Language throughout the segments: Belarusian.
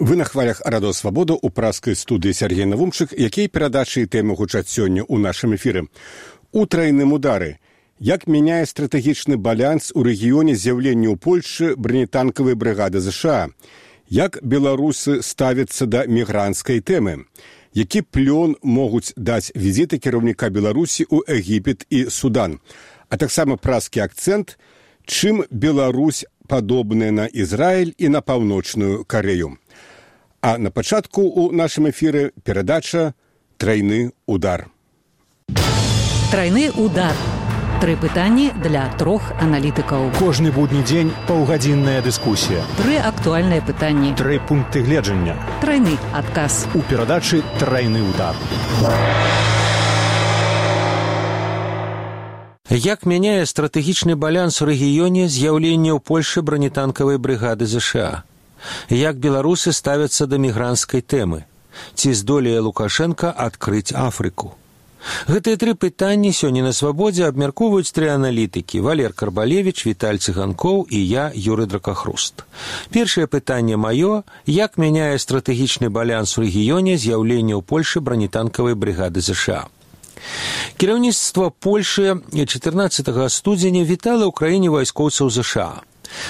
Вы на хвалях Радио Свабода у праскай студыі Сергей Навумчык, якія перадачы і тэмы гучаць сёння ў нашым эфіры. У трайным удары. Як мяняе стратэгічны баланс у рэгіёне з'яўлення ў Польшчы бронетанкавай брыгады ЗША? Як беларусы ставяцца да мігранцкай тэмы? Які плён могуць даць візіты кіраўніка Беларусі ў Егіпет і Судан? А таксама праскі акцэнт, чым Беларусь падобная на Ізраіль і на Паўночную Карею. А на пачатку ў нашым эфіры перадача «Трайны удар». Трайны удар. Тры пытанні для трох аналітыкаў. Кожны будні дзень паўгадзінная дыскусія. Тры актуальныя пытанні. Тры пункты гледжання. Трайны адказ. У перадачы «Трайны удар». Як мяняе стратэгічны баланс у рэгіёне з'яўлення ў Польшы бронетанкавай брыгады ЗША? Як беларусы ставяцца да мігранцкай тэмы? Ці здолее Лукашенка адкрыць Афрыку? Гэтыя тры пытанні сёння на Свабодзе абмяркоўваюць тры аналітыкі: Валер Карбалевіч, Віталь Цыганкоў і я, Юрый Дракахруст. Першае пытанне маё: як мяняе стратэгічны баланс у рэгіёне з'яўлення ў Польшы бронетанкавай брыгады ЗША? Кіраўніцтва Польшы 14 студзеня вітала ў краіне вайскоўцаў ЗША.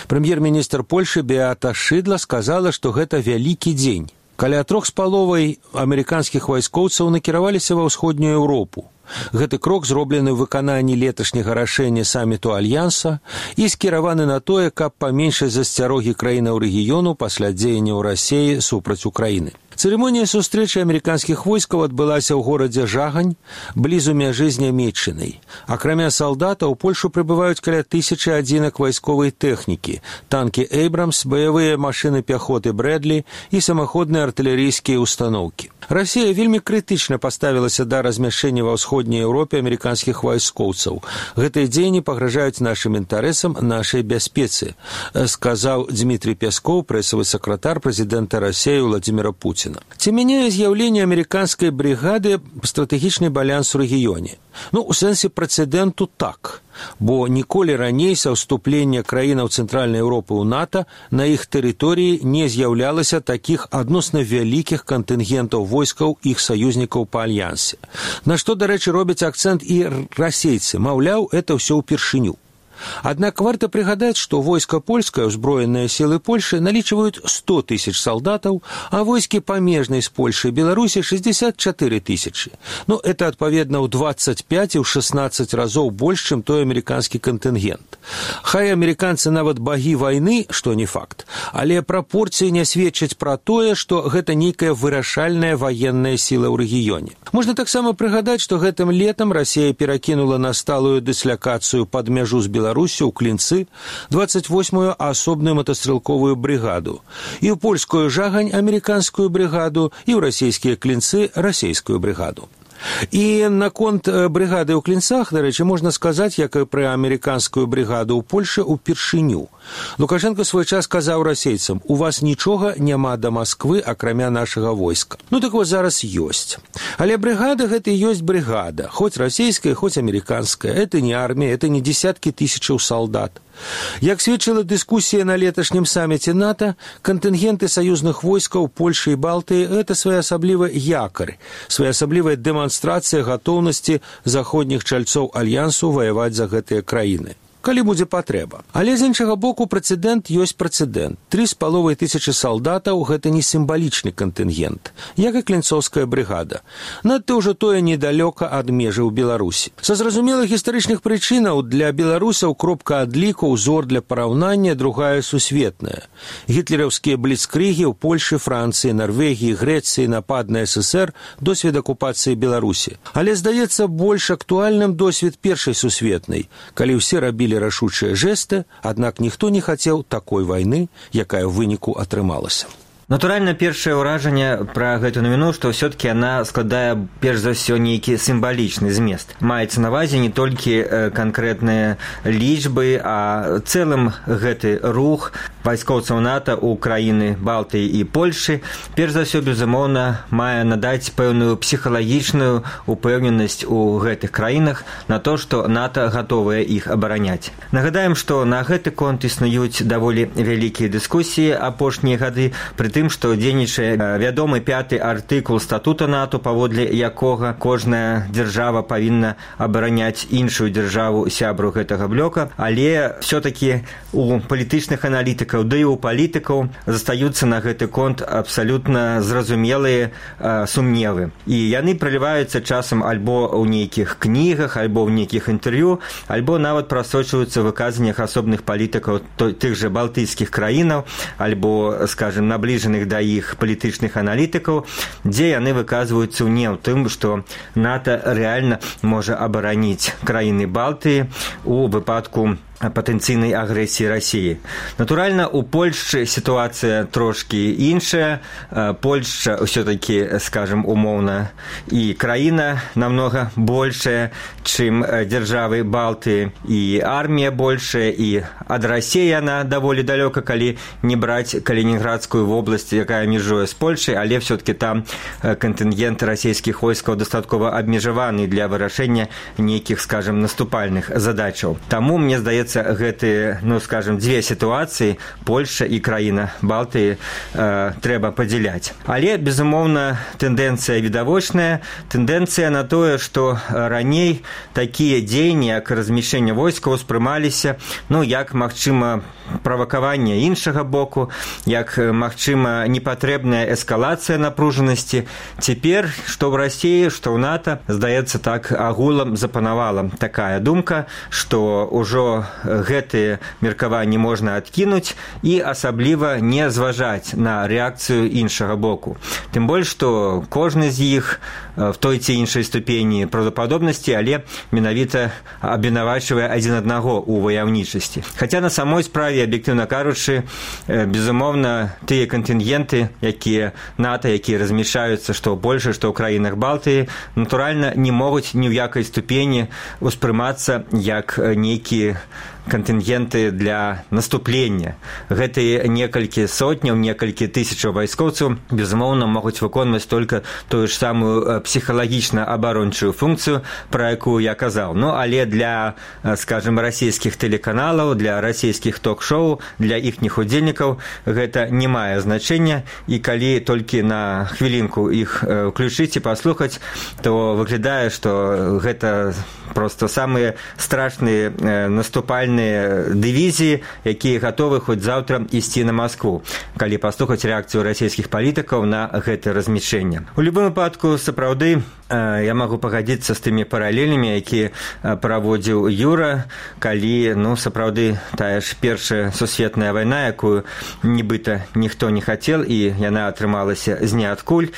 Прэм'ер-міністр Польшы Беата Шыдла сказала, што гэта вялікі дзень. Каля 3,5 амерыканскіх вайскоўцаў накіраваліся ва ўсходнюю Еўропу. Гэты крок зроблены ў выкананні леташняга рашэння саміту Альянса і скіраваны на тое, каб паменшыць засцярогі краінаў рэгіёну пасля дзеянняў Расіі супраць Украіны. Цырымонія сустрэчы амерыканскіх войскаў адбылася ў горадзе Жагань, блізу мяжы з Нямецчынай. Акрамя салдатаў, у Польшу прыбываюць каля 1000 адзінак вайсковай тэхнікі, танкі «Эйбрамс», баявыя машыны пяхоты «Брэдлі» і самаходныя артылерыйскія установкі. Расія вельмі крытычна паставілася да размяшчэння ва ўсходняй Еўропе амерыканскіх вайскоўцаў. Гэтыя дзеянні пагражаюць нашым інтарэсам, нашай бяспецы, сказаў Дмітрий Пяскоў, прэсавы сакратар прэзідэнта Расіі Владзіміра Пуціна. Ці мяняе з'яўленне амерыканскай брыгады стратэгічны баланс у рэгіёне? У сэнсе прэцэдэнту так, бо ніколі раней са ўступлення краінаў Цэнтральнай Еўропы ў НАТО на іх тэрыторыі не з'яўлялася такіх адносна вялікіх кантынгентаў войскаў іх саюзнікаў па альянсе. На што, дарэчы, робяць акцэнт і расейцы, маўляў, это ўсё ўпершыню. Аднак варта прыгадаць, што войска польскае, узброеныя сілы Польшы, налічваюць 100 000 салдатаў, а войскі памежнай з Польшай і Беларусі 64 000. Это, адпаведна, ў 25 і ў 16 разоў больш, чым той амерыканскі кантынгент. Хай амерыканцы нават багі вайны, што не факт, але прапорцыі не сведчаць пра тое, што гэта нейкая вырашальная ваенная сіла ў рэгіёне. Можна таксама прыгадаць, што гэтым летам Расія перакінула на сталую дыслякацыю пад мяжу з Беларусі ў Клінцы 28-ю асобную матастрэлковую брыгаду, і ў польскую Жагань амерыканскую брыгаду, і ў расійскія Клінцы расійскую брыгаду. І наконт брыгады ў Клінцах, дарэчы, можна сказаць, як і пра амерыканскую брыгаду ў Польшы ўпершыню. Лукашенко свой час казаў расейцам: у вас нічога няма да Масквы, акрамя нашага войска. Так вось зараз ёсць. Але брыгада гэта і ёсць брыгада, хоць расійская, хоць амерыканская. Это не армія, это не десяткі тысячаў салдат. Як сведчыла дыскусія на леташнім саміце НАТО, кантынгенты саюзных войскаў Польшы і Балтыі – гэта своеасаблівы якар, своеасаблівая дэманстрацыя гатоўнасці заходніх чальцоў альянсу ваяваць за гэтыя краіны, калі будзе патрэба. Але з іншага боку прэцэдэнт ёсць прэцэдэнт. 3500 салдатаў – гэта не сімвалічны кантынгент, як і клінцоўская брыгада. Надта ўжо тое недалёка ад межы ў Беларусі. Са зразумелых гістарычных прычынаў для беларусаў кропка адліку, узор для параўнання другая сусветная. Гітлераўскія бліцкрыгі ў Польшы, Францыі, Нарвегіі, Грэцыі, напад на ССР, досвед акупацыі Беларусі. Але, здаецца, больш актуальным досвед першай сусветнай, калі ўсе рабілі рашучыя жэсты, аднак ніхто не хацеў такой вайны, якая ў выніку атрымалася. Натуральна, першае ўражанне пра гэту навіну, што ўсё-такі яна складае перш за ўсё нейкі сімвалічны змест. Маецца на ўвазе не толькі канкрэтныя лічбы, а цэлым гэты рух вайскоўцаў НАТО ў краіны Балтыі і Польшы перш за ўсё, безумоўна, мае надаць пэўную псіхалагічную упэўненасць у гэтых краінах на то, што НАТО гатовае іх абараняць. Нагадаем, што на гэты конт існуюць даволі вялікія дыскусіі апошнія гады, пры тым, што дзейнічае вядомы 5-й артыкул статута НАТО, паводле якога кожная дзяржава павінна абараняць іншую дзяржаву сябру гэтага блока, але все-таки у палітычных аналітыкаў, да і у палітыкаў застаюцца на гэты конт абсалютна зразумелыя сумневы. І яны праліваюцца часам альбо ў нейкіх кнігах, альбо ў нейкіх інтэрв'ю, альбо нават прасочваюцца ў выказаннях асобных палітыкаў тых жа балтыйскіх краінаў, альбо, скажем, набліжаных да іх палітычных аналітыкаў, дзе яны выказваюцца не ў тым, што НАТО рэальна можа абараніць краіны Балтыі у выпадку патэнцыйнай агрэсіі Расіі. Натуральна, у Польшчы сітуацыя трошкі іншая. Польшча ўсё-такі, скажем, умоўна, і краіна намнога большая, чым дзяржавы Балтыі, і армія большая, і ад Расіі яна даволі далёка, калі не браць Калінінградскую вобласць, якая межуе з Польшай, але ўсё-такі там кантынгент расійскіх войскаў дастаткова абмежаваны для вырашэння нейкіх, скажем, наступальных задачаў. Таму, мне здаецца, гэтыя, ну, скажем, дзве сітуацыі, Польшча і краіна Балтыі, трэба падзяляць. Але, безумоўна, тэндэнцыя відавочная, тэндэнцыя на тое, што раней такія дзеянні, як размяшчэнне войскаў, успрымаліся, ну, як, магчыма, правакаванне іншага боку, як, магчыма, непатрэбная эскалацыя напружанасці. Цяпер, што ў Расіі, што ў НАТО, здаецца, так агулам запанавала такая думка, што ўжо гэтыя меркаванні можна адкінуць і асабліва не зважаць на рэакцыю іншага боку. Тым больш, што кожны з іх в той ці іншай ступені правдападобнасці, але менавіта абвінавачвае адзін аднаго ў ваяўнічасці. Хаця на самой справе, аб'ектыўна кажучы, безумоўна, тыя кантынгенты, якія НАТО, якія размяшчаюцца што ў Польшы, што ў краінах Балтыі, натуральна, не могуць ні ў якай ступені успрымацца як нейкі кантынгенты для наступлення. Гэтыя некалькі сотняў, некалькі тысячаў вайскоўцаў, безумоўна, могуць выконваць толькі тую ж самую псіхалагічна-абарончую функцыю, пра якую я казаў. Ну, але для, скажем, расійскіх тэлеканалаў, для расійскіх ток-шоу, для іхніх удзельнікаў гэта не мае значэння, і калі толькі на хвілінку іх уключыць і паслухаць, то выглядае, што гэта проста самыя страшныя наступальныя дывізіі, якія гатовы хоць заўтра ісці на Маскву, калі паслухаць рэакцыю расійскіх палітыкаў на гэта размяшчэнне. У любым выпадку, сапраўды, я магу пагадзіцца з тымі паралелямі, якія праводзіў Юра, калі, ну, сапраўды, тая ж першая сусветная вайна, якую нібыта ніхто не хацеў, і яна атрымалася з ніадкуль.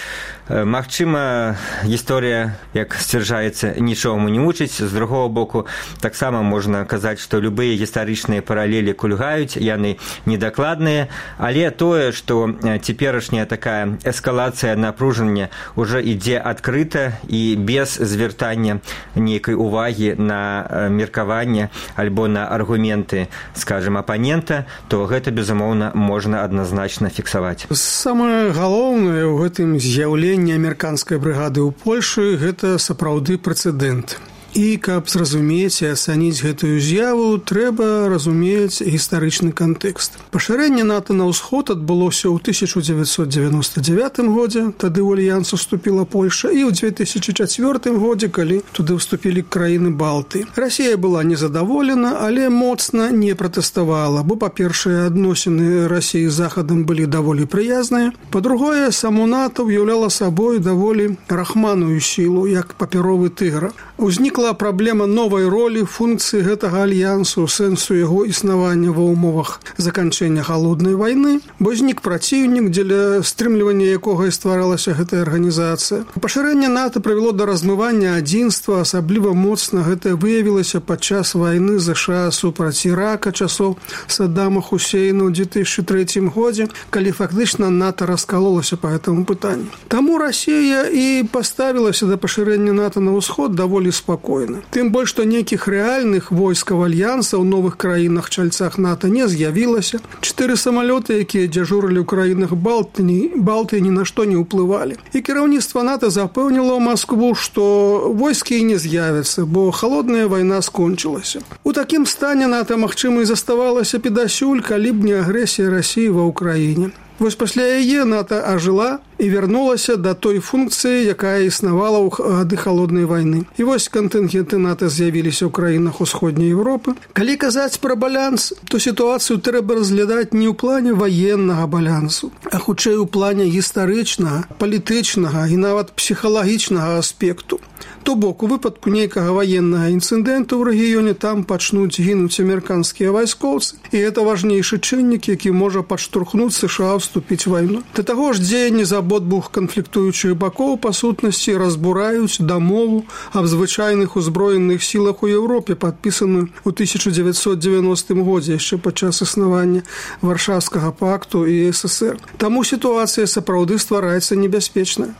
Магчыма, гісторыя, як сцвярджаецца, нічому не вучыць. З другого боку, таксама можна казаць, што любыя гістарычныя паралелі кульгаюць, яны недакладныя, але тое, што цяперашняя такая эскалацыя напружання ўжо ідзе адкрыта і без звяртання нейкай увагі на меркаванне альбо на аргументы, скажем, апанента, то гэта, безумоўна, можна адназначна фіксаваць. Самае галоўнае ў гэтым з'яўленні амерыканскай брыгады ў Польшы – гэта сапраўды прэцэдэнт. І каб зразумець і ацаніць гэтую з'яву, трэба разумець гістарычны кантэкст. Пашырэнне НАТО на ўсход адбылося ў 1999 годзе, тады ў альянс уступіла Польша, і ў 2004 годзе, калі туды ўступілі краіны Балтыі. Расія была незадаволена, але моцна не пратэставала, бо, па-першае, адносіны Расіі з Захадам былі даволі прыязныя, па-другое, само НАТО ўяўляла сабой даволі рахманую сілу, як папяровы тыгр. Узнікла праблема новай ролі функцыі гэтага альянсу, сэнсу яго існавання ва ўмовах заканчэння халоднай вайны, бо знік праціўнік, дзеля стрымлівання якога і стваралася гэтая арганізацыя. Пашырэнне НАТО прывяло да размывання адзінства, асабліва моцна гэта выявілася падчас вайны ЗША супраць Ірака часоў Саддама Хусейна ў 2003 годзе, калі фактычна НАТО раскалолася па гэтаму пытанню. Таму Расія і паставілася да пашырэння НАТО на ўсход даволі спакойна. Тым больш, што нейкіх рэальных войскаў альянса ў новых краінах-чальцах НАТО не з'явілася. 4 самалёты, якія дзяжурылі ў краінах Балтыі, ні на што не ўплывалі. І кіраўніцтва НАТО запэўніла Маскву, што войскі не з'явяцца, бо халодная вайна скончылася. У такім стане НАТО, магчыма, і заставалася підасюль, калі б не агрэсія Расіі ва ўкраіне. Вось пасля яе НАТО ажыла і вярнулася да той функцыі, якая існавала ў гады халоднай вайны. І вось кантынгенты НАТО з'явіліся ў краінах усходняй Еўропы. Калі казаць пра баланс, то сітуацыю трэба разглядаць не ў плане ваеннага балансу, а хутчэй у плане гістарычнага, палітычнага і нават псіхалагічнага аспекту. То бок, у выпадку нейкага ваеннага інцыдэнту ў рэгіёне там пачнуць гінуць амерыканскія вайскоўцы, і гэта важнейшы чыннік, які можа падштурхнуць США вступіць у вайну. Да таго ж дзеянні з абодвух канфліктуючых бакоў па сутнасці разбураюць дамову аб звычайных узброеных сілах у Еўропе, падпісаную ў 1990 годзе, яшчэ падчас існавання Варшаўскага пакту і СССР. Таму сітуацыя сапраўды ствараецца небяспечная.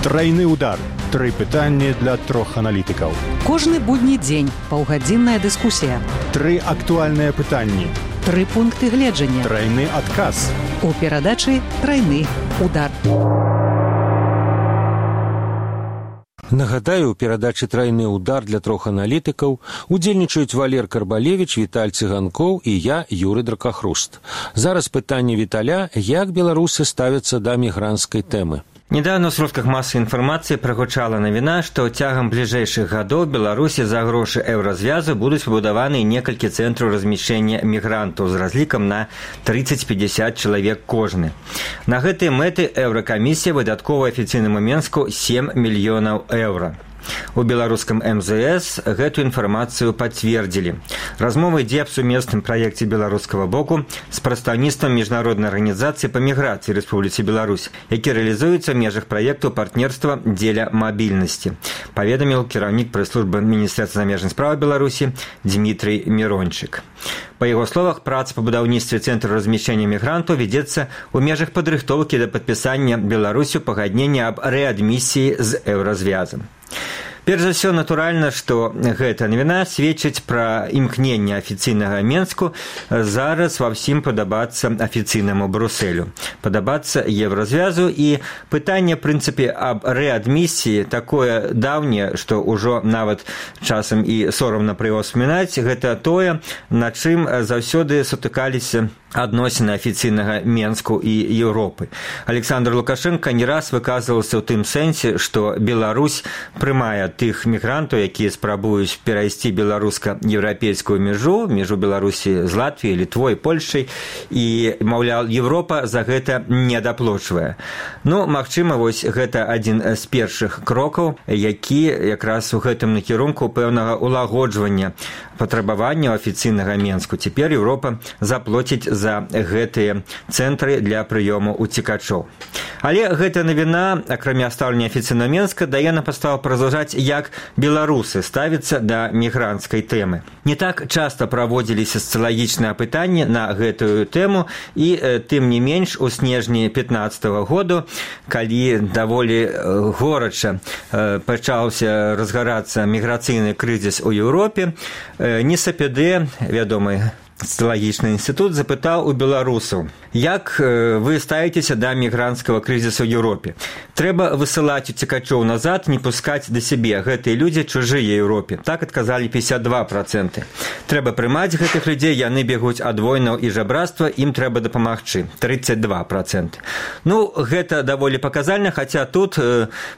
Трайны удар. 3 пытанні для 3 аналітыкаў. Кожны будні дзень паўгадзінная дыскусія. 3 актуальныя пытанні. 3 пункты гледжання. Трайны адказ. У перадачы «Трайны удар». Нагадаю, у перадачы «Трайны удар» для 3 аналітыкаў удзельнічаюць Валер Карбалевіч, Віталь Цыганкоў і я, Юры Дракахруст. Зараз пытанне Віталя, як беларусы ставяцца да мігранцкай тэмы. Недавно в сродках массовой информации прогучала навіна, што цягам бліжэйшых гадоў Беларусі за грошы еўразвязу будуць пабудаваны некалькі цэнтраў размяшчэння мігрантаў з разлікам на 30-50 чалавек кожны. На гэтыя мэты Еўракамісія выдаткова афіцыйнаму Менску 7 мільёнаў еўра. У беларускам МЗС гэту інфармацыю пацвердзілі. Размова ідзе аб сумесным праекце беларускага боку з прадстаўніцтвам міжнароднай арганізацыі па міграцыі Рэспубліцы Беларусь, які рэалізуецца ў межах праекту партнерства дзеля мабільнасці, паведаміў кіраўнік прэс-службы Міністэрства замежных спраў Беларусі Дмітрый Мірончык. Па яго словах, праца па будаўніцтве цэнтру размяшчэння мігрантаў вядзецца ў межах падрыхтоўкі да падпісання Беларусю пагаднення аб рэадмісіі з еўразвязам. Перш за ўсё, натуральна, што гэта навіна сведчыць пра імкненне афіцыйнага Менску зараз ва ўсім падабацца афіцыйнаму Брусэлю, падабацца еўразвязу, і пытанне, в прынцыпе, аб рэадмісіі такое даўняе, што ўжо нават часам і сорамна пра яго ўспамінаць, гэта тое, на чым заўсёды сутыкаліся адносіны афіцыйнага Менску і Еўропы. Александр Лукашенко не раз выказваўся ў тым сэнсе, што Беларусь прымае тых мігрантаў, якія спрабуюць перайсці беларуска-еўрапейскую межу Беларусі з Латвіяй, Літвой, Польшай, і, маўляў, Еўропа за гэта не даплочвае. Ну, магчыма, вось гэта адзін з першых крокаў, які якраз у гэтым накірунку пэўнага улагоджвання патрабаванняў афіцыйнага Менску. Цяпер Еўропа заплоціць за гэтыя цэнтры для прыёму уцекачоў. Але гэта навіна, акрамя стаўлення афіцыйнага Менска, дае нам падставу паразважаць, як беларусы ставяцца да мігранцкай тэмы. Не так часта праводзіліся сацыялагічныя апытанні на гэтую тэму, і тым не менш у снежні 15-го году, калі даволі горача пачаўся разгарацца міграцыйны крызіс у Еўропе, НСПД, вядомы сацыялагічны інстытут, запытаў у беларусаў, як вы ставіцеся да мігранцкага крызісу ў Еўропе. Трэба высылаць уцекачоў назад, не пускаць да сябе. Гэтыя людзі чужыя Еўропе. Так адказалі 52%. Трэба прымаць гэтых людзей, яны бегуць ад войнаў і жабрацтва, ім трэба дапамагчы. 32%. Ну, гэта даволі паказальна, хаця тут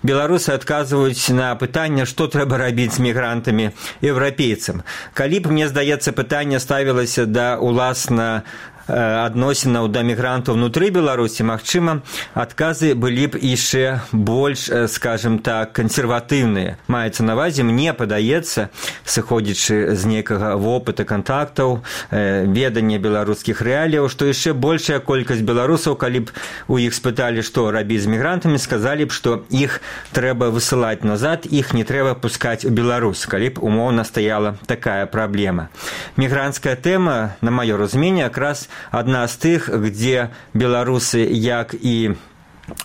беларусы адказваюць на пытанне, што трэба рабіць з мігрантамі еўрапейцам. Калі б, мне здаецца, пытанне ставілася да уласна адносінаў да мігрантаў внутры Беларусі, магчыма, адказы былі б яшчэ больш, скажем так, кансерватыўныя. Маецца на ўвазе, мне падаецца, сыходзячы з нейкага вопыта кантактаў, ведання беларускіх рэаліяў, што яшчэ большая колькасць беларусаў, калі б у іх спыталі, што рабіць з мігрантамі, сказалі б, што іх трэба высылаць назад, іх не трэба пускаць у Беларусь, калі б умоўна стаяла такая праблема. Мігранцкая тэма, на маё разуменне, якраз адна з тых, где беларусы, як і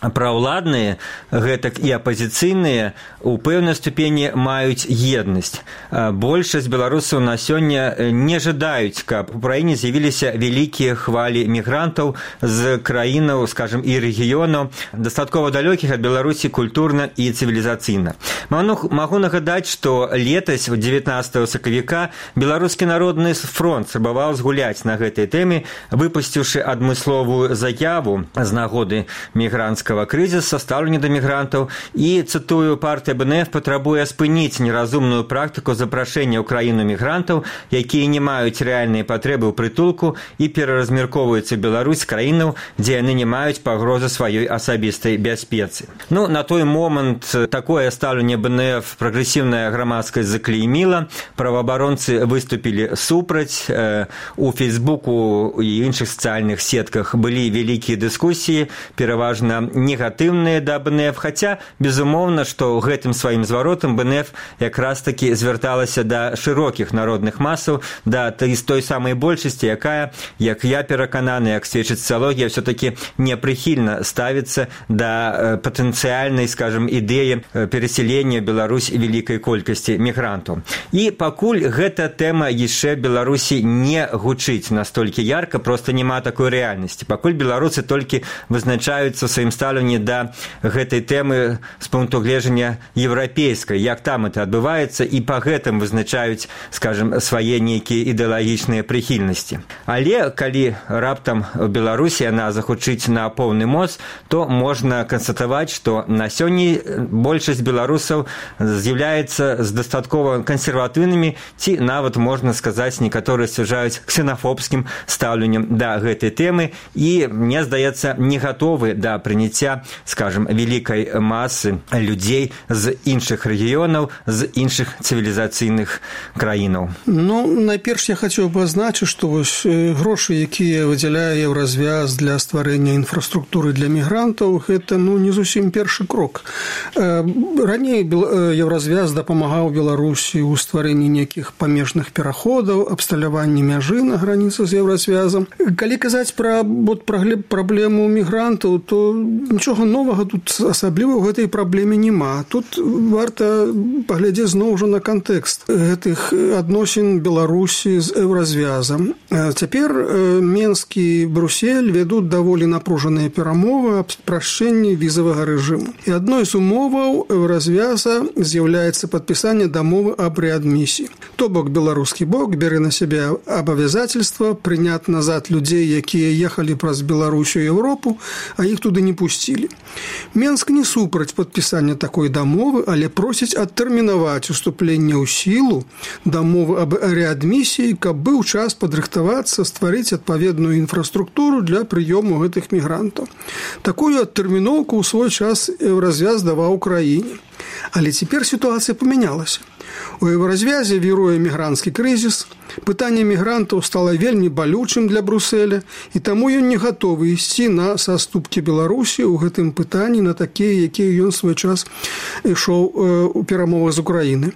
праўладныя, гэтак і апазіцыйныя у пэўнай ступені маюць еднасць. Большасць беларусаў на сёння не жадаюць, каб у краіне з'явіліся вялікія хвалі мігрантаў з краінаў, скажем, і рэгіёнаў, дастаткова далёкіх ад Беларусі культурна і цывілізацыйна. Магу нагадаць, што летась, 19 сакавіка, Беларускі народны фронт спрабаваў згуляць на гэтай тэме, выпусціўшы адмысловую заяву з нагоды мігранцкага крызіса, стаўлення да мігрантаў і, цытую, партыя БНФ патрабуе спыніць неразумную практыку запрашэння ў краіну мігрантаў, якія не маюць рэальныя патрэбы ў прытулку і пераразмяркоўваюцца Беларусь краінаў, дзе яны не маюць пагрозы сваёй асабістай бяспецы. На той момант такое стаўленне БНФ прагрэсіўная грамадскасць заклейміла, праваабаронцы выступілі супраць, у Фейсбуку і іншых сацыяльных сетках былі вялікія дыскусіі, пераважна негатыўныя да БНФ, хаця, безумоўна, што гэтым сваім зваротам БНФ якраз такі звярталася да шырокіх народных масаў, да той самай большасці, якая, як я перакананы, як сведчыць сацыялогія, все-таки непрыхільна ставіцца да патэнцыяльнай, скажем, ідэі перасялення Беларусь вялікай колькасці мігрантаў. І пакуль гэта тэма яшчэ Беларусі не гучыць настолькі ярка, просто няма такой рэальнасці. Пакуль беларусы толькі вызначаюцца ў сваім стаўленні да гэтай тэмы з пункту гледжання еўрапейскай, як там это адбываецца, і па гэтым вызначаюць, скажем, свае нейкія ідэалагічныя прыхільнасці. Але калі раптам у Беларусі яна захучыць на поўны моц, то можна канстатаваць, што на сёння большасць беларусаў з'яўляецца з дастаткова кансерватыўнымі, ці нават, можна сказаць, некаторыя сцвярджаюць ксенафобскім стаўленнем да гэтай тэмы і, мне здаецца, не гатовы да прыняцця, скажем, вялікай масы людзей з іншых рэгіёнаў, з іншых цывілізацыйных краінаў. Найперш я хацеў бы азначыць, што вось грошы, якія выдзяляе Еўразвяз для стварэння інфраструктуры для мігрантаў, гэта не зусім першы крок. Раней Еўразвяз дапамагаў Беларусі ў стварэнні нейкіх памежных пераходаў, абсталяванні мяжы на граніцы з Еўразвязам. Калі казаць пра праблему мігрантаў, то нічога новага тут асабліва ў гэтай праблеме няма. Тут варта паглядзець зноў жа на кантэкст гэтых адносін Беларусі з Еўразвязам. Цяпер Менск і Брюссель вядуць даволі напружаныя перамовы аб спрашчэнні візавага рэжыму. І адной з умоваў Еўразвяза з'яўляецца падпісанне дамовы аб рэадмісіі. То бок беларускі бок бярэ на сябе абавязательства прыняць назад людзей, якія ехалі праз Беларусь у Еўропу, а іх туды не пусцілі. Менск не супраць падпісання такой дамовы, але просіць адтэрмінаваць уступленне ў сілу дамовы аб рэадмісіі, каб быў час падрыхтавацца, стварыць адпаведную інфраструктуру для прыёму гэтых мігрантаў. Такую адтэрміноўку ў свой час Еўразвяз даваў краіне. Але цяпер сітуацыя памянялася. У Еўразвязе віруе мігранцкі крызіс, пытанне мігрантаў стала вельмі балючым для Брюсселя, і таму ён не гатовы ісці на саступкі Беларусі ў гэтым пытанні на такія, якія ён свой час ішоў у перамовах з Украіны.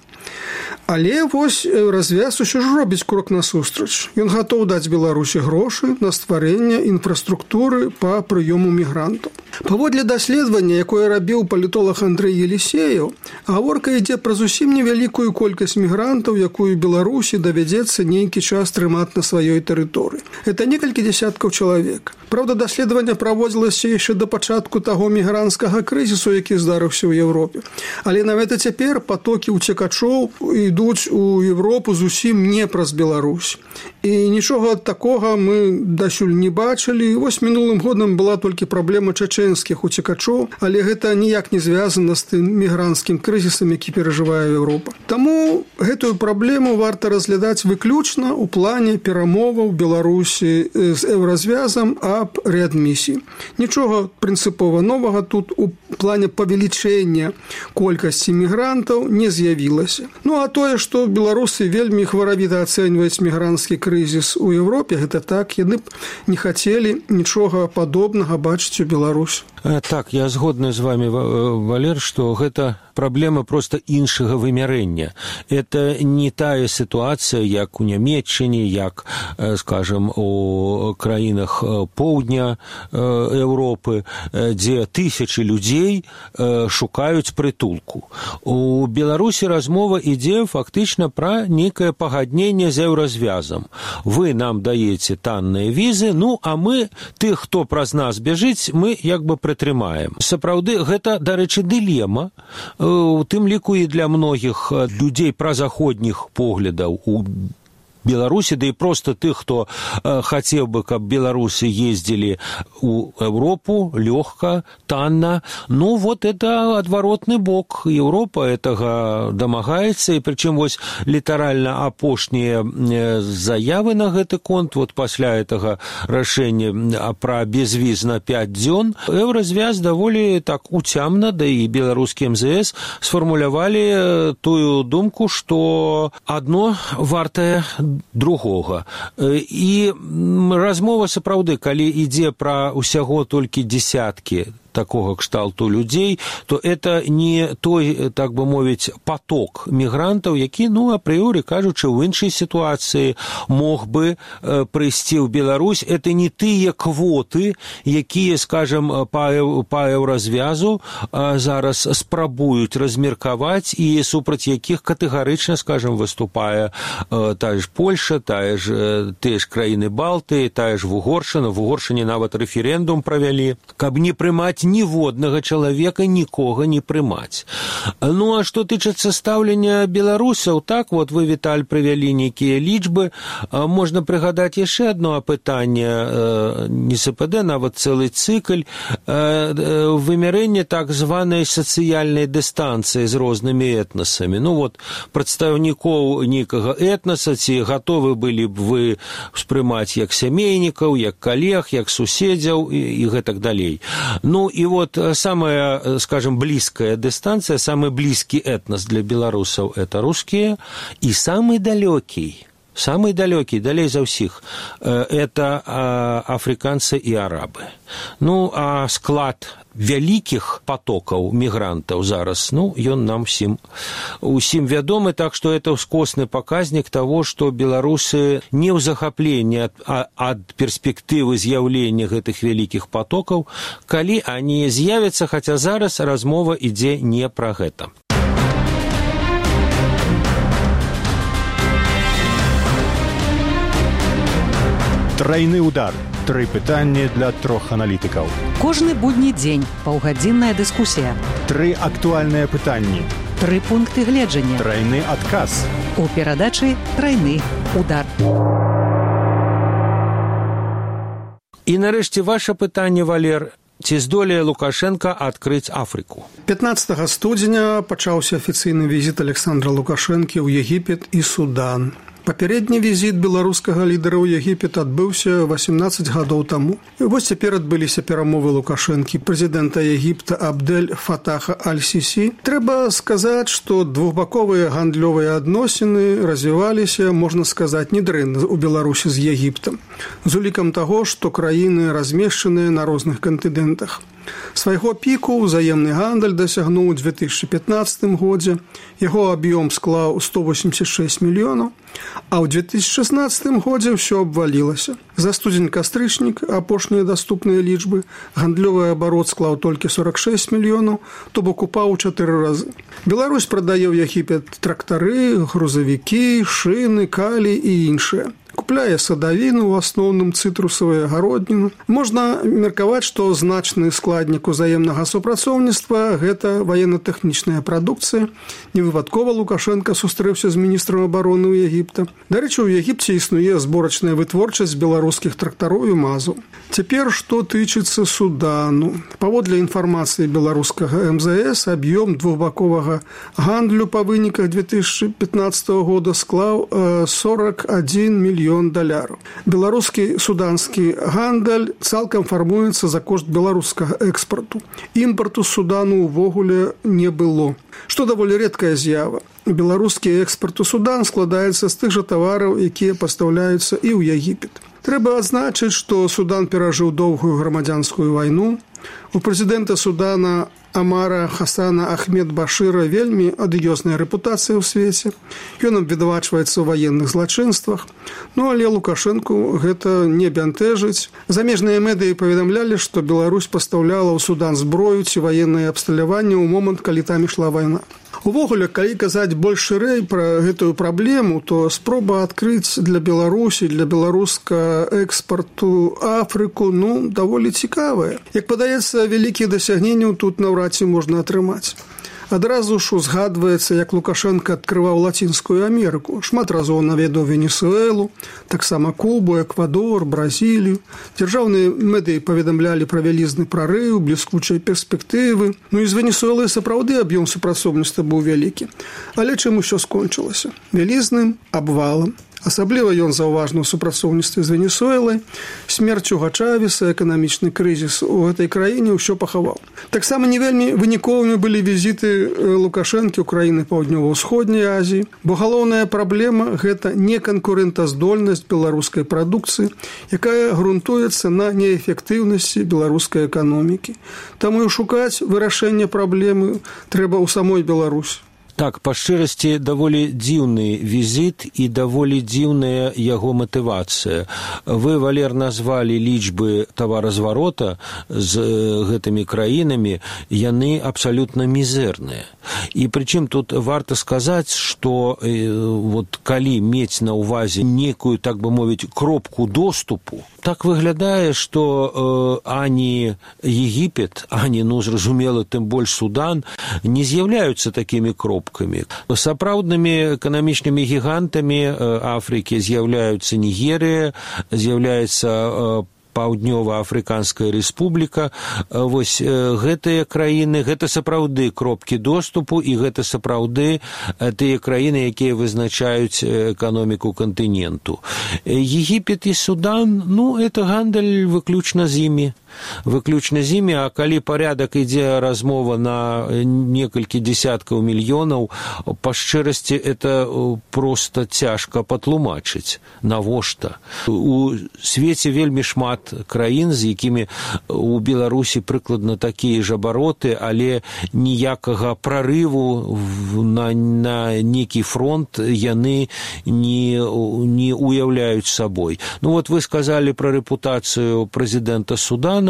Але вось Еўразвяз усё ж робіць крок насустрач. Ён гатоў даць Беларусі грошы на стварэнне інфраструктуры па прыёму мігрантаў. Паводле даследавання, якое рабіў палітолог Андрэй Елісеяў, гаворка ідзе пра зусім невялікую колькасць мігрантаў, якую Беларусі давядзецца нейкі час трымаць на сваёй тэрыторыі. Гэта некалькі дзясяткаў чалавек. Праўда, даследаванне праводзілася яшчэ да пачатку таго мігранцкага крызісу, які здарыўся ў Еўропе. Але нават цяпер патокі ўцекачоў ідуць у Еўропу зусім не праз Беларусь. І нічога такога мы дасюль не бачылі. Вось мінулым годам была толькі праблема чачэнскіх уцекачоў, але гэта ніяк не звязана з тым мігранцкім крызісам, які перажывае Еўропа. Таму гэтую праблему варта разглядаць выключна ў плане перамоваў Беларусі з Еўразвязам аб рэадмісіі. Нічога прынцыпова новага тут у плане павелічэння колькасці мігрантаў не з'явілася. А тое, што беларусы вельмі хваравіта ацэньваюць мігранцкі крызіс у Еўропе, гэта так, яны б не хацелі нічога падобнага бачыць у Беларусі. Беларусь. Так, я згодны з вами, Валер, што гэта праблема проста іншага вымярэння. Это не тая сітуацыя, як у Нямецчыне, як, скажем, у краінах поўдня Еўропы, дзе тысячы людзей шукаюць прытулку. У Беларусі размова ідзе фактычна пра нейкае пагадненне з еўразвязам. Вы нам даеце танныя візы, ну, а мы, тых, хто праз нас бяжыць, мы як бы прытрымаем. Сапраўды, гэта, дарэчы, дылема, у тым ліку і для многіх людзей празаходніх поглядаў у Беларусі, да і проста тых, хто хацеў бы, каб беларусы ездзілі ў Еўропу лёгка, танна. Ну, вот это адваротны бок. Еўропа гэтага дамагаецца, і прычым вось літаральна апошнія заявы на гэты конт, вот пасля гэтага рашэння пра безвіз на 5 дзён, еўразвяз даволі так уцямна, да і беларускі МЗС сфармулявалі тую думку, што адно вартае другога. І размова сапраўды, калі ідзе пра ўсяго толькі дзесяткі такого кшталту людзей, то это не той, так бы мовіць, поток мігрантаў, які, ну, апрыёры кажучы, ў іншай сітуацыі мог бы прыйсці ў Беларусь. Это не тыя квоты, якія, скажем, па еўразвязу зараз спрабуюць размеркаваць і супраць якіх катэгарычна, скажем, выступае тая ж Польша, тыя ж краіны Балтыі, тая ж Угоршчына. В Угоршчыне нават рэферэндум правялі, каб не прымаць ніводнага чалавека, нікога не прымаць. Ну, а што тычыцца стаўлення беларусаў, так, вот вы, Віталь, прывялі нейкія лічбы. Можна прыгадаць яшчэ одно апытанне, не СПД, нават цэлы цыкль, вымярэнне так званай сацыяльнай дыстанцыі з рознымі этнасамі. Ну, вот, прадстаўнікоў нейкага этнаса, ці гатовы былі б вы ўспрымаць як сямейнікаў, як калег, як суседзяў і гэтак далей. Ну, и вот самая, скажем, близкая дистанция, самый близкий этнос для белорусов – это русские, и самый далекий, далей за ўсіх, это африканцы и арабы. Ну, а склад вялікіх потокаў мігрантаў зараз, ну, ён нам усім вядомы, так што это ўскосны паказнік таго, што беларусы не ў захапленні ад перспектывы з'яўлення гэтых вялікіх потокаў, калі они з'явяцца, хаця зараз размова ідзе не пра гэта. Трайны удар. 3 пытанні для 3 аналітыкаў. Кожны будні дзень паўгадзінная дыскусія. 3 актуальныя пытанні. 3 пункты гледжання. Трайны адказ. У перадачы «Трайны удар». І нарэшце ваше пытанне, Валер. Ці здолее Лукашенко адкрыць Афрыку? 15 студзеня пачаўся афіцыйны візіт Александра Лукашэнкі ў Егіпет і Судан. Папярэдні візіт беларускага лідара ў Егіпет адбыўся 18 гадоў таму. І вось цяпер адбыліся перамовы Лукашэнкі, прэзідэнта Егіпта Абдель Фатаха Аль-Сісі. Трэба сказаць, што двухбаковыя гандлёвыя адносіны развіваліся, можна сказаць, недрэнна ў Беларусі з Егіптам, з улікам таго, што краіны размешчаныя на розных кантынентах. Свайго піку ўзаемны гандаль дасягнуў у 2015 годзе, яго аб'ём склаў 186 мільёнаў, а ў 2016 годзе ўсё абвалілася. За студзень-кастрычнік, апошнія даступныя лічбы, гандлёвы абарот склаў толькі 46 мільёнаў, то бок упаў у 4 разы. Беларусь прадае ў Егіпет трактары, грузавікі, шыны, калій і іншае. Купляе садавіну, у асноўным цытрусавую гародніну. Можна меркаваць, што значны складнік узаемнага супрацоўніцтва – гэта ваенна-тэхнічная прадукцыя. Невыпадкова Лукашенко сустрэўся з міністрам абароны ў Егіпта. Дарэчы, у Егіпце існуе зборачная вытворчасць беларускіх трактароў і мазаў. Цяпер, што тычыцца Судану. Паводле інфармацыі беларускага МЗС, аб'ём двухбаковага гандлю па выніках 2015 года склаў 41 мільён $. Беларускі суданскі гандаль цалкам фармуецца за кошт беларускага экспарту. Імпарту з Судану ўвогуле не было, што даволі рэдкая з'ява. Беларускі экспарт у Судан складаецца з тых жа тавараў, якія пастаўляюцца і ў Егіпет. Трэба адзначыць, што Судан перажыў доўгую грамадзянскую вайну. У прэзідэнта Судана Амара Хасана Ахмед Башыра вельмі адыёзная рэпутацыя ў свеце. Ён абвінавачваецца ў ваенных злачынствах. Але Лукашэнку гэта не бянтэжыць. Замежныя медыі паведамлялі, што Беларусь пастаўляла ў Судан зброю ці ваеннае абсталяванне ў момант, калі там ішла вайна. Увогуле, калі казаць больш шырэй пра гэтую праблему, то спроба адкрыць для Беларусі, для беларуска экспарту Афрыку, даволі цікавая. Як падаецца, вялікіх дасягненняў тут наўрад ці можна атрымаць. Адразу ж узгадваецца, як Лукашенко адкрываў Лацінскую Амерыку. Шмат разоў наведаў Венесуэлу, таксама Кубу, Эквадор, Бразілію. Дзяржаўныя медыі паведамлялі пра вялізны прарыў, бліскучыя перспектывы. І з Венесуэлай сапраўды аб'ём супрацоўніцтва быў вялікі. Але чым усё скончылася? Вялізным абвалам. Асабліва ён заўважна ў супрацоўніцтве з Венесуэлай, смерць Хуга Чавеса, эканамічны крызіс у гэтай краіне ўсё пахаваў. Таксама не вельмі выніковымі былі візіты Лукашэнкі ў краіны Паўднёва-ўсходняй Азіі, бо галоўная праблема – гэта неканкурэнтаздольнасць беларускай прадукцыі, якая грунтуецца на неэфектыўнасці беларускай эканомікі. Таму і шукаць вырашэння праблемы трэба ў самой Беларусі. Так, па шчырасці, даволі дзіўны візіт і даволі дзіўная яго матывацыя. Вы, Валер, назвалі лічбы таваразварота з гэтымі краінамі, яны абсалютна мізэрныя. І прычым тут варта сказаць, што калі мець на ўвазе некую, так бы мовіць, кропку доступу, так выглядае, што ані Егіпет, ані, зразумела, тым больш Судан не з'яўляюцца такімі кропкамі. Сапраўднымі эканамічнымі гігантамі Афрыкі з'яўляюцца Нігерія, з'яўляецца Паўднёва-Афрыканская рэспубліка. Вось гэтыя краіны, гэта сапраўды кропкі доступу, і гэта сапраўды тыя краіны, якія вызначаюць эканоміку кантыненту. Егіпет і Судан, это гандаль выключна з імі. А калі парядак ідзе размова на некалькі дзесяткаў мільёнаў, па шчырасці, это проста цяжка патлумачыць. Навошта? У свеце вельмі шмат краін, з якімі у Беларусі прыкладна такія ж абароты, але ніякага прарыву на некі фронт яны не уяўляюць сабой. Вы сказалі пра рэпутацыю прэзідэнта Судана.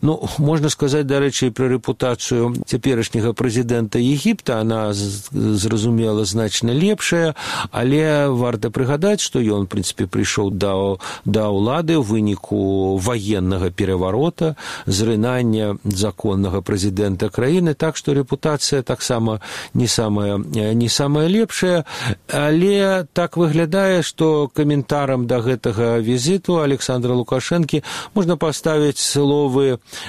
Можна сказаць, дарэчы, пра рэпутацыю цяперашняга прэзідэнта Егіпта. Она, зразумела, значна лепшая, але варта прыгадаць, што ён, в прынцыпе, прыйшоў да ўлады ў выніку военнага пераварота, зрынання законнага прэзідэнта краіны, так што рэпутацыя таксама не самая лепшая, але так выглядае, што каментарам да гэтага візіту Александра Лукашэнкі можна паставіць словы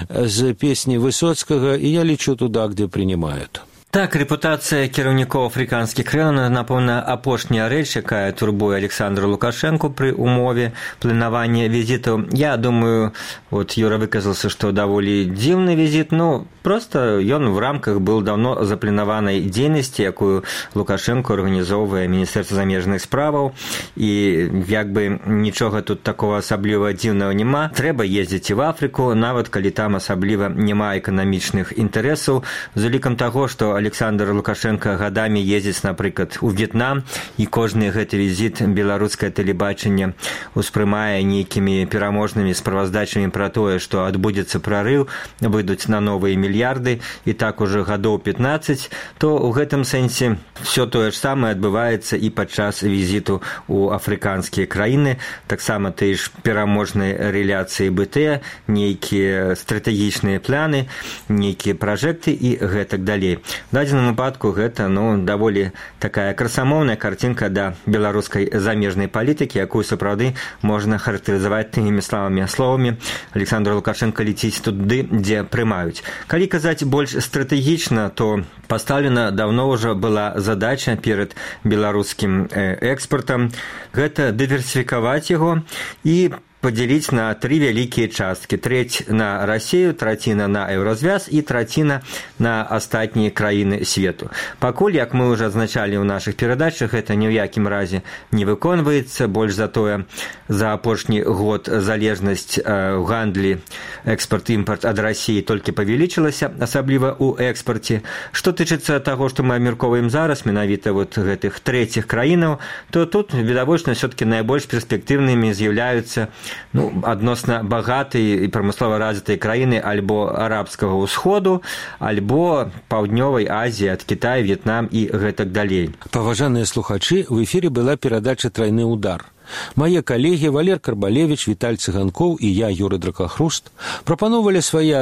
з песні Высоцкага, і я лічу туда, где принимают. Так, рэпутацыя кіраўнікоў афрыканскіх краінаў, напэўна, апошняя рэч, якая турбуе Александра Лукашэнку пры умове планавання візітаў. Я думаю, Юра выказался, што даволі дзіўны візіт, просто ён в рамках был давно запланаванай дзейнасці, якую Лукашэнко арганізоўвае Міністэрства замежных справаў, і нічога тут такого асабліва дзіўнага няма. Трэба ездзіць і в Афрыку, нават калі там асабліва няма эканамічных інтарэсаў, з улікам таго, што Александр Лукашенко гадамі ездзіць, напрыклад, у В'етнам, і кожны гэты візіт беларускае тэлебачанне успрымае нейкімі пераможнымі справаздачамі пра тое, што адбудзецца прарыў, выйдуць на новыя мільярды, і так ужо гадоў 15, то ў гэтым сэнсе все тое ж самае адбываецца і падчас візіту ў афрыканскія краіны. Таксама тыя ж пераможныя рэляцыі БТ, нейкія стратэгічныя планы, нейкія пражэкты і гэтак далей. В дадзеным выпадку гэта даволі такая красамоўная карцінка да беларускай замежнай палітыкі, якую сапраўды можна характарызаваць тымі словамі Александр Лукашенко леціць туды, дзе прымаюць. Калі казаць больш стратэгічна, то пастаўлена даўно ўжо была задача перад беларускім экспартам, гэта дыверсіфікаваць яго і поделить на 3 вялікія часткі. Трэць на Россию, траціна на Еўразвяз і траціна на астатнія краіны свету. Пакуль, як мы уже адзначалі ў нашых перадачах, гэта ні ў якім разе не выконваецца. Больш за тое, за апошні год залежнасць ў гандлі экспорт-імпорт ад России толькі павялічылася, асабліва ў экспорце. Што тычыцца таго, што мы абмяркоўваем зараз, менавіта вот гэтых трэціх краінаў, то тут, відавочна, все-таки найбольш перспектыўнымі з'яўляюцца адносна багатыя і прамыслова развітыя краіны альбо арабскага ўсходу, альбо паўднёвай Азіі, ад Китая, В'етнам і гэтак далей. Паважаныя слухачы, у эфіры была перадача «Трайны удар». Мае калегі Валер Карбалевіч, Віталь Цыганкоў і я, Юрый Дракахруст, прапановвалі свае